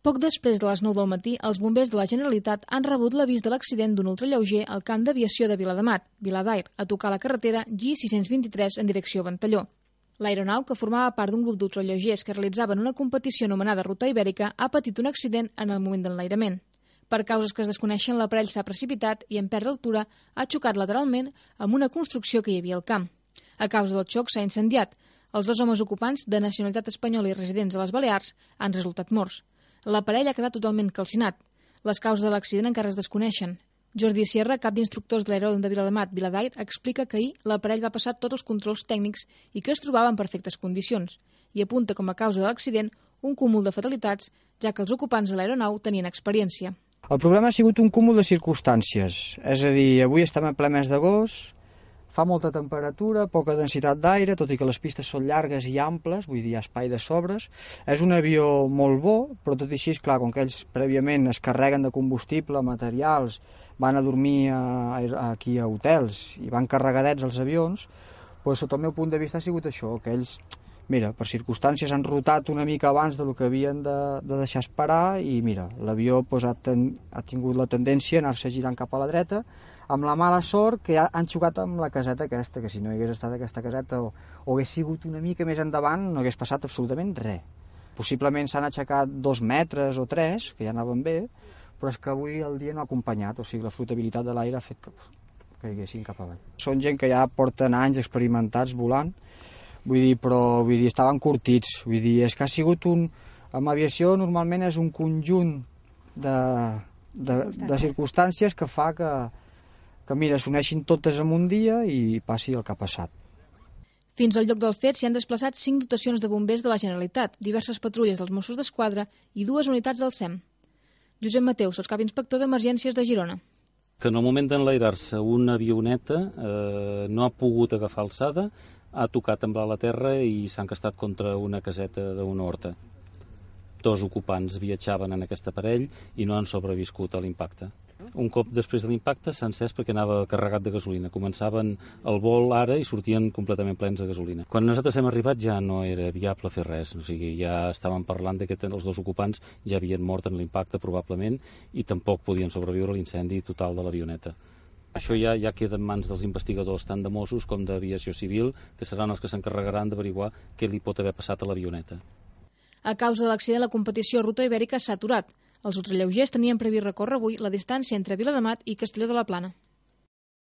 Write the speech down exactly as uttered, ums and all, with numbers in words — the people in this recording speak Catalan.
Poc després de les nou del matí, els bombers de la Generalitat han rebut l'avís de l'accident d'un ultralleuger al camp d'aviació de Viladamat, Viladair, a tocar la carretera G sis cents vint-i-tres en direcció a Ventalló. L'aeronau, que formava part d'un grup d'ultralleugers que realitzaven una competició anomenada Ruta Ibèrica, ha patit un accident en el moment de l'enlairament. Per causes que es desconeixen, l'aparell s'ha precipitat i, en perdre altura, ha xocat lateralment amb una construcció que hi havia al camp. A causa del xoc s'ha incendiat. Els dos homes ocupants, de nacionalitat espanyola i residents a les Balears, han resultat morts. L'aparell ha quedat totalment calcinat. Les causes de l'accident encara es desconeixen. Jordi Sierra, cap d'instructors de l'aeròdrom de Viladamat, Viladair, explica que ahir l'aparell va passar tots els controls tècnics i que es trobava en perfectes condicions, i apunta com a causa de l'accident un cúmul de fatalitats, ja que els ocupants de l'aeronau tenien experiència. El problema ha sigut un cúmul de circumstàncies, és a dir, avui estem en ple mes d'agost, fa molta temperatura, poca densitat d'aire, tot i que les pistes són llargues i amples, vull dir, hi ha espai de sobres. És un avió molt bo, però tot i així, clar, com que ells prèviament es carreguen de combustible, materials, van a dormir a, a, aquí a hotels i van carregadets els avions, doncs, sota el meu punt de vista ha sigut això, que ells, mira, per circumstàncies han rotat una mica abans del que havien de, de deixar esperar i, mira, l'avió doncs, ha, ten, ha tingut la tendència a anar-se girant cap a la dreta, amb la mala sort que han xocat amb la caseta aquesta, que si no hi hagués estat aquesta caseta o, o hagués sigut una mica més endavant no hagués passat absolutament res. Possiblement s'han aixecat dos metres o tres, que ja anaven bé, però és que avui el dia no ha acompanyat, o sigui, la flotabilitat de l'aire ha fet que caiguessin cap avall. Són gent que ja porten anys experimentats volant, vull dir, però vull dir, estaven curtits, vull dir, és que ha sigut un... En aviació normalment és un conjunt de, de, de circumstàncies que fa que que mira, s'uneixin totes en un dia i passi el que ha passat. Fins al lloc del fet s'hi han desplaçat cinc dotacions de bombers de la Generalitat, diverses patrulles dels Mossos d'Esquadra i dues unitats del S E M. Josep Mateu, sotscap inspector d'Emergències de Girona. Que en el moment d'enlairar-se una avioneta eh, no ha pogut agafar alçada, ha tocat amb la terra i s'ha encastat contra una caseta d'una horta. Dos ocupants viatjaven en aquest aparell i no han sobreviscut a l'impacte. Un cop després de l'impacte s'ha encès perquè anava carregat de gasolina. Començaven el vol ara i sortien completament plens de gasolina. Quan nosaltres hem arribat ja no era viable fer res, o sigui, ja estàvem parlant que els dos ocupants ja havien mort en l'impacte probablement i tampoc podien sobreviure a l'incendi total de l'avioneta. Això ja, ja queda en mans dels investigadors, tant de Mossos com d'Aviació Civil, que seran els que s'encarregaran d'averiguar què li pot haver passat a l'avioneta. A causa de l'accident, la competició Ruta Ibèrica s'ha aturat. Els ultralleugers tenien previst recórrer avui la distància entre Viladamat i Castelló de la Plana.